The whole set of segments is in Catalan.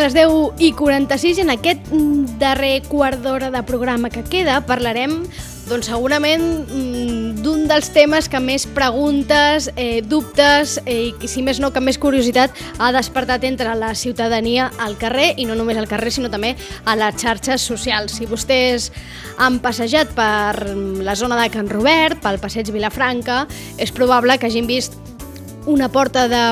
les 10:46 i en aquest darrer quart d'hora de programa que queda parlarem doncs segurament d'un dels temes que més preguntes, dubtes i si més no que més curiositat ha despertat entre la ciutadania al carrer i no només al carrer sinó també a les xarxes socials. Si vostès han passejat per la zona de Can Robert, pel passeig Vilafranca, és probable que hagin vist una porta de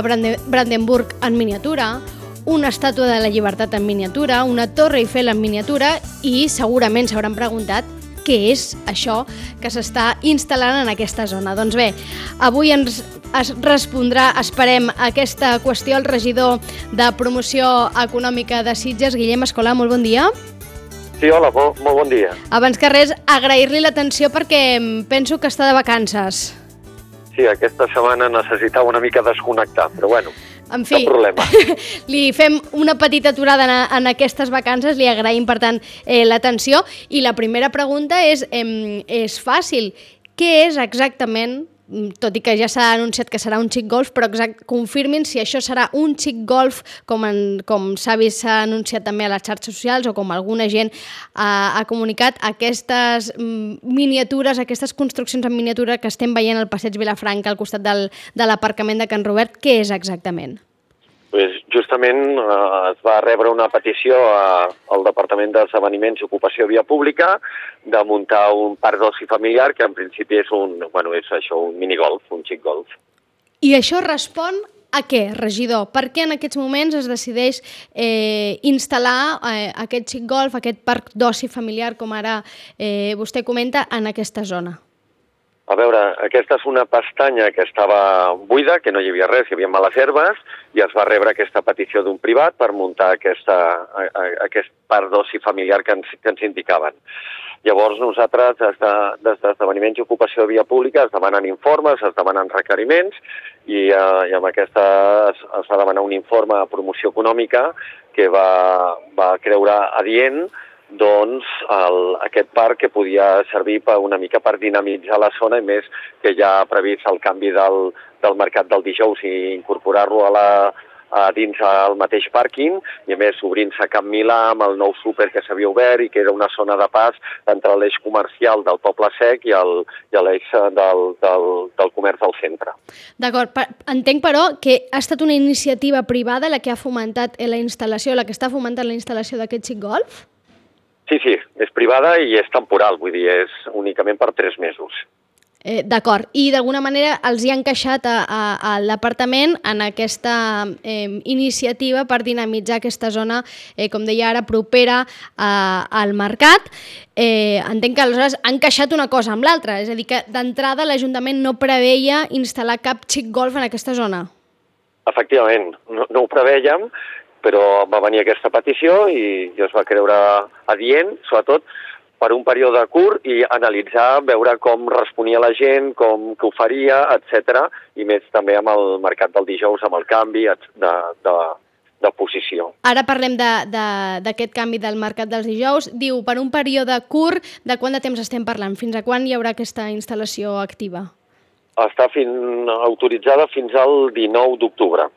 Brandenburg en miniatura, una estàtua de la Llibertat en miniatura, una Torre Eiffel en miniatura i segurament s'hauran preguntat què és això que s'està instal·lant en aquesta zona. Doncs bé, avui ens respondrà, esperem, aquesta qüestió el regidor de Promoció Econòmica de Sitges, Guillem Escolà. Molt bon dia. Sí, hola, molt bon dia. Abans que res, agrair-li l'atenció perquè penso que està de vacances. Sí, aquesta setmana necessitava una mica desconnectar, però bueno, en fi, cap problema. Li fem una petita aturada en aquestes vacances, li agraïm, per tant, l'atenció. I la primera pregunta és fàcil. Què és exactament, tot i que ja s'ha anunciat que serà un xic golf, però confirmin si això serà un xic golf, com s'ha vist, s'ha anunciat també a les xarxes socials o com alguna gent ha comunicat, aquestes miniatures, aquestes construccions en miniatura que estem veient al passeig Vilafranca al costat de l'aparcament de Can Robert, què és exactament? Pues justament es va rebre una petició al Departament d'Esdeveniments i Ocupació Via Pública de muntar un parc d'oci familiar que en principi és un minigolf, un xic golf. I això respon a què, regidor? Per què en aquests moments es decideix instal·lar aquest xic golf, aquest parc d'oci familiar, com ara vostè comenta, en aquesta zona? A veure, aquesta és una pestanya que estava buida, que no hi havia res, hi havia males herbes, i es va rebre aquesta petició d'un privat per muntar aquest parc d'oci familiar que ens indicaven. Llavors nosaltres, des d'Esdeveniments i Ocupació de Via Pública, es demanen informes, es demanen requeriments, i amb aquesta es va demanar un informe de promoció econòmica que va creure adient doncs aquest parc que podia servir una mica per dinamitzar la zona i més que ja ha previst el canvi del mercat del dijous i incorporar-lo dins el mateix pàrquing i a més obrint-se a Camp Milà amb el nou súper que s'havia obert i que era una zona de pas entre l'eix comercial del Poble Sec i l'eix del comerç del centre. D'acord, entenc però que ha estat una iniciativa privada la que ha fomentat la instal·lació, la que està fomentant la instal·lació d'aquest xic golf? Sí, és privada i és temporal, vull dir, és únicament per 3 mesos. D'acord, i d'alguna manera els hi ha encaixat a l'apartament en aquesta iniciativa per dinamitzar aquesta zona, com deia ara, propera al mercat. Entenc que aleshores ha encaixat una cosa amb l'altra, és a dir, que d'entrada l'Ajuntament no preveia instal·lar cap xic golf en aquesta zona. Efectivament, no ho prevèiem, però va venir aquesta petició i es va creure adient, sobretot per un període curt i analitzar, veure com responia la gent, com que ho faria, etc. I més també amb el mercat del dijous, amb el canvi de posició. Ara parlem d'aquest canvi del mercat dels dijous. Diu, per un període curt, de quant de temps estem parlant? Fins a quan hi haurà aquesta instal·lació activa? Està autoritzada fins al 19 d'octubre.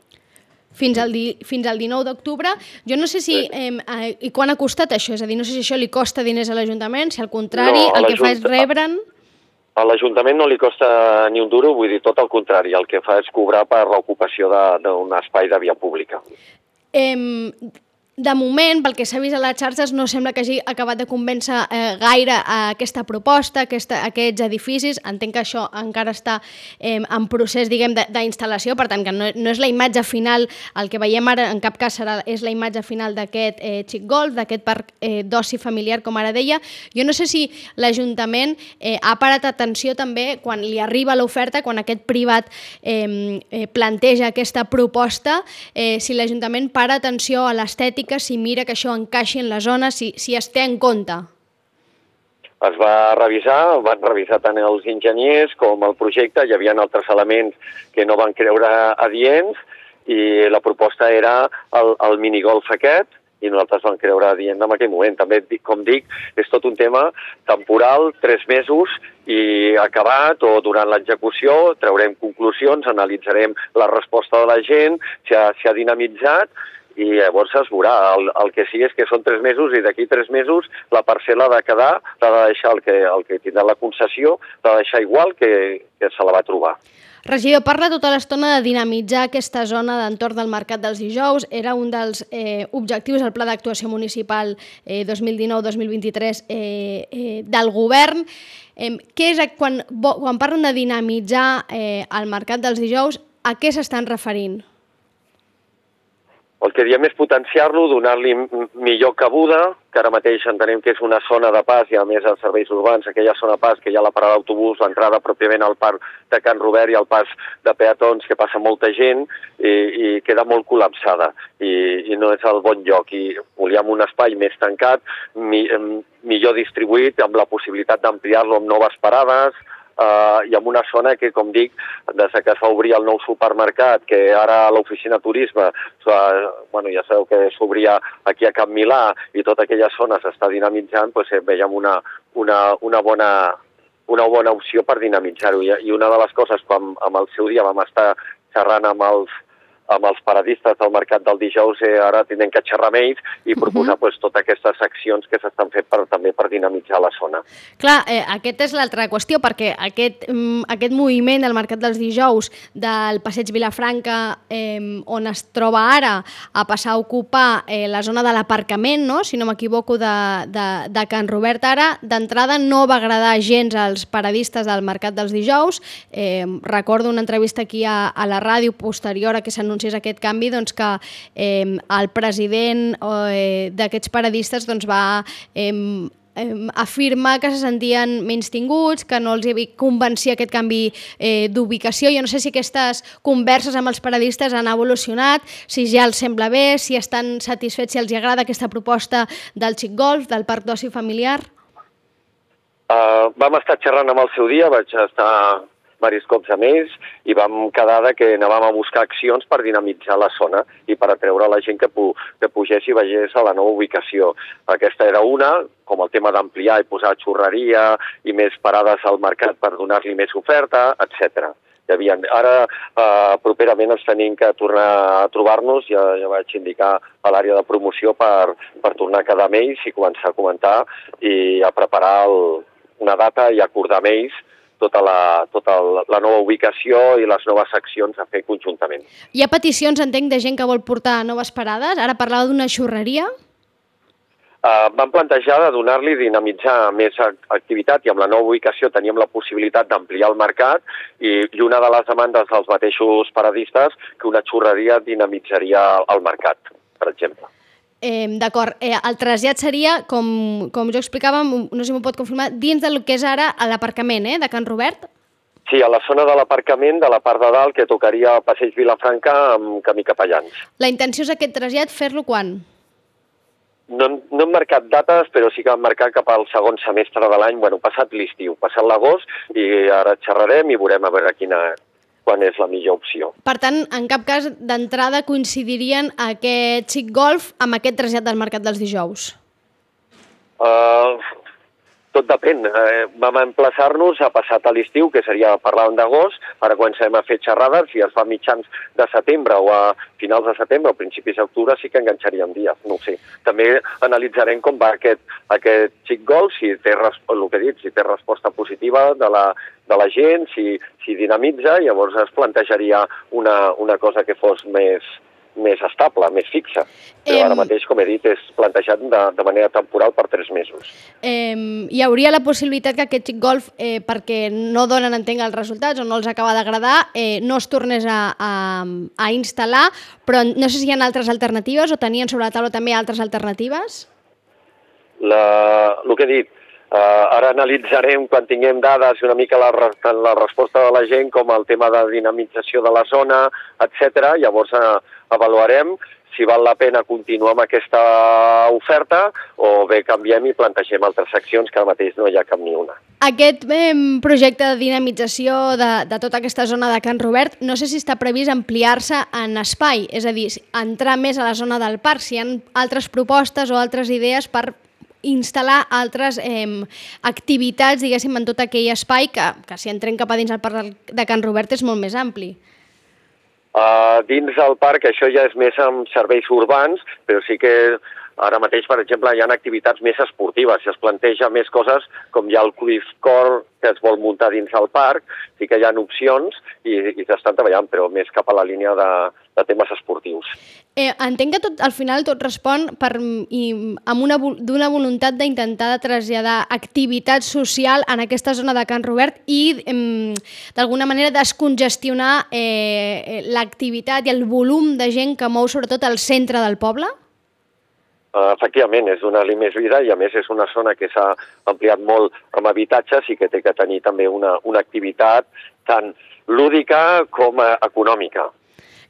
Fins al 19 d'octubre. Jo no sé si... I quan ha costat això? És a dir, no sé si això li costa diners a l'Ajuntament, si al contrari, el que fa és rebre'n... A l'Ajuntament no li costa ni un duro, vull dir, tot el contrari. El que fa és cobrar per l'ocupació d'un espai de via pública. De moment, pel que s'ha vist a les xarxes, no sembla que hagi acabat de convèncer gaire aquesta proposta, aquests edificis. Entenc que això encara està en procés, diguem, d'instal·lació, per tant, que no és la imatge final, el que veiem ara en cap cas és la imatge final d'aquest xic golf, d'aquest parc d'oci familiar, com ara deia. Jo no sé si l'Ajuntament ha parat atenció també quan li arriba l'oferta, quan aquest privat planteja aquesta proposta, si l'Ajuntament para atenció a l'estètica, si mira que això encaixi en la zona, si es té en compte. Es van revisar tant els enginyers com el projecte, hi havia altres elements que no van creure adients i la proposta era el minigolf aquest i nosaltres vam creure adient en aquell moment. També, com dic, és tot un tema temporal, 3 mesos, i acabat o durant l'execució traurem conclusions, analitzarem la resposta de la gent, si ha dinamitzat, i llavors es veurà. El que sí és que són 3 mesos i d'aquí 3 mesos la parcel·la ha de quedar, l'ha de deixar el que tindrà la concessió, l'ha de deixar igual que se la va trobar. Regidor, parla tota l'estona de dinamitzar aquesta zona d'entorn del Mercat dels Dijous. Era un dels objectius del Pla d'Actuació Municipal 2019-2023 del govern. Què és, quan parlen de dinamitzar el Mercat dels Dijous, a què s'estan referint? El que diem és potenciar-lo, donar-li millor cabuda, que ara mateix entenem que és una zona de pas i a més els serveis urbans, aquella zona de pas que hi ha la parada d'autobús, l'entrada pròpiament al parc de Can Robert i el pas de peatons que passa molta gent i queda molt col·lapsada i no és el bon lloc. I volíem un espai més tancat, millor distribuït, amb la possibilitat d'ampliar-lo amb noves parades, i en una zona que, com dic, des que es va obrir el nou supermercat, que ara l'oficina turisme, ja sabeu que s'obria aquí a Can Milà i tota aquella zona s'està dinamitzant, doncs veiem una bona opció per dinamitzar-ho. I una de les coses, quan amb el seu dia vam estar xerrant amb els paradistes del Mercat del Dijous, ara tenen que xerrar amb ells i proposar totes aquestes accions que s'estan fent també per dinamitzar la zona. Clar, aquesta és l'altra qüestió, perquè aquest moviment del Mercat dels Dijous del Passeig Vilafranca, on es troba ara, a passar a ocupar la zona de l'aparcament, no? Si no m'equivoco, de Can Robert ara, d'entrada no va agradar gens als paradistes del Mercat dels Dijous. Recordo una entrevista aquí a la ràdio posterior a que s'anunciés aquest canvi, que el president d'aquests paradistes va afirmar que se sentien menystinguts, que no els convencia aquest canvi d'ubicació. Jo no sé si aquestes converses amb els paradistes han evolucionat, si ja els sembla bé, si estan satisfets, si els agrada aquesta proposta del xic golf, del parc d'oci familiar. Vam estar xerrant amb el seu dia, vaig estar diversos cops amb ells i vam quedar que anàvem a buscar accions per dinamitzar la zona i per atreure la gent que pugés i vegés a la nova ubicació. Aquesta era una, com el tema d'ampliar i posar xurreria i més parades al mercat per donar-li més oferta, etc. Ara, properament, ens tenim que tornar a trobar-nos, ja vaig indicar a l'àrea de promoció per tornar a quedar amb ells i començar a comentar i a preparar una data i acordar amb ells tota la nova ubicació i les noves accions a fer conjuntament. Hi ha peticions, entenc, de gent que vol portar noves parades? Ara parlava d'una xurreria? Vam plantejar de donar-li, dinamitzar més activitat i amb la nova ubicació teníem la possibilitat d'ampliar el mercat i una de les demandes dels mateixos paradistes que una xurreria dinamitzaria el mercat, per exemple. D'acord. El trasllat seria, com jo explicava, no sé si m'ho pot confirmar, dins del que és ara l'aparcament de Can Robert? Sí, a la zona de l'aparcament, de la part de dalt, que tocaria el Passeig Vilafranca amb camí Capellans. La intenció és aquest trasllat fer-lo quan? No hem marcat dates, però sí que hem marcat cap al segon semestre de l'any, passat l'estiu, passat l'agost, i ara xerrarem i veurem a veure quan és la millor opció. Per tant, en cap cas, d'entrada coincidirien aquest xic golf amb aquest trasllat del Mercat dels Dijous? Tot depèn. Vam emplaçar-nos a passat a l'estiu, que seria parlant d'agost, ara comencem a fer xerrades, si es fa mitjans de setembre o a finals de setembre o principis d'octubre sí que enganxaríem dies, no ho sé. També analitzarem com va aquest xic golf, si té resposta positiva de la gent, si dinamitza, llavors es plantejaria una cosa que fos més estable, més fixa. Però ara mateix, com he dit, és plantejat de manera temporal per 3 mesos. Hi hauria la possibilitat que aquest xic golf, perquè no donen, entenc, els resultats o no els acaba d'agradar, no es tornés a instal·lar, però no sé si hi ha altres alternatives o tenien sobre la taula també altres alternatives? El que he dit, ara analitzarem quan tinguem dades i una mica la resposta de la gent, com el tema de dinamització de la zona, etc. Llavors avaluarem si val la pena continuar amb aquesta oferta o bé canviem i plantegem altres accions, que ara mateix no hi ha cap ni una. Aquest projecte de dinamització de tota aquesta zona de Can Robert, no sé si està previst ampliar-se en espai, és a dir, entrar més a la zona del parc, si hi ha altres propostes o altres idees per instal·lar altres activitats, diguéssim, en tot aquell espai que si entrem cap a dins el parc de Can Robert és molt més ampli. Dins del parc això ja és més amb serveis urbans, però sí que ara mateix, per exemple, hi ha activitats més esportives. Si es planteja més coses, com hi ha el Cruyff Court que es vol muntar dins del parc, sí que hi ha opcions i s'estan treballant, però més cap a la línia de temes esportius. Entenc que al final tot respon d'una voluntat d'intentar traslladar activitat social en aquesta zona de Can Robert i d'alguna manera descongestionar l'activitat i el volum de gent que mou sobretot al centre del poble? Efectivament, és donar-li més vida i a més és una zona que s'ha ampliat molt amb habitatges i que té que tenir també una activitat tant lúdica com econòmica.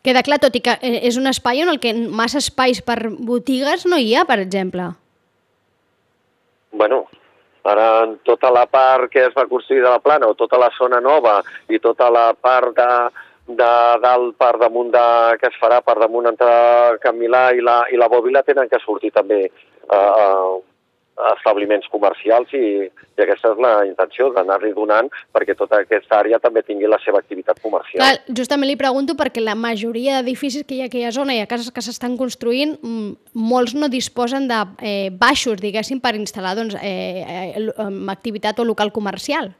Queda clar, tot i que és un espai en el que massa espais per botigues no hi ha, per exemple. Bueno, ara en tota la part que es va construir de la Plana o tota la zona nova i tota la part de dalt per damunt que es farà per damunt entre Can Milà i la Bòbila tenen que sortir també establiments comercials i aquesta és la intenció, d'anar-li donant perquè tota aquesta àrea també tingui la seva activitat comercial. Clar, justament li pregunto perquè la majoria d'edificis que hi ha a aquella zona i a cases que s'estan construint, molts no disposen de baixos, diguéssim, per instal·lar activitat o local comercial.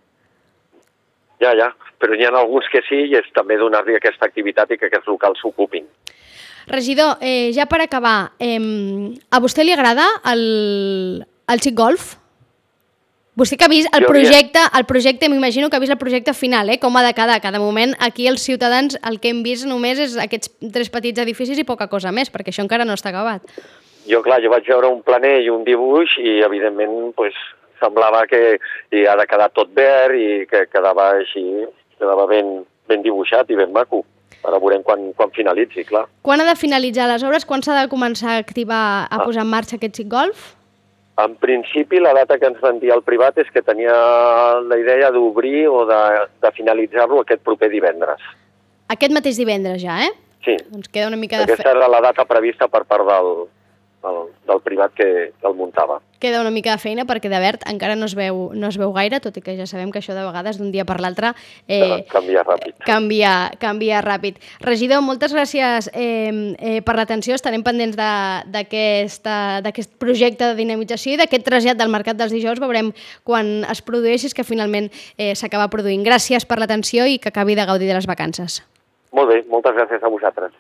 Ja, però n'hi ha alguns que sí i és també donar-li aquesta activitat i que aquests locals s'ocupin. Regidor, ja per acabar, a vostè li agrada el xic golf? Vostè que ha vist el projecte, m'imagino que ha vist el projecte final, com ha de quedar. Cada moment aquí els ciutadans el que hem vist només és aquests 3 petits edificis i poca cosa més, perquè això encara no està acabat. Jo vaig veure un planer i un dibuix i evidentment semblava que ha de quedar tot verd i que quedava així, quedava ben dibuixat i ben maco. Ara veurem quan finalitzi, clar. Quan ha de finalitzar les obres? Quan s'ha de començar a activar, a posar en marxa aquest xic golf? En principi, la data que ens van dir al privat és que tenia la idea d'obrir o de finalitzar-lo aquest proper divendres. Aquest mateix divendres ja, Sí. Doncs queda una mica de Aquesta era la data prevista per part del privat que el muntava. Queda una mica de feina perquè de verd encara no es veu gaire, tot i que ja sabem que això de vegades d'un dia per l'altre canvia ràpid. Canvia ràpid. Regidor, moltes gràcies per l'atenció. Estarem pendents d'aquest projecte de dinamització i d'aquest trasllat del Mercat dels Dijous. Veurem quan es produeixi, que finalment s'acaba produint. Gràcies per l'atenció i que acabi de gaudir de les vacances. Molt bé, moltes gràcies a vosaltres.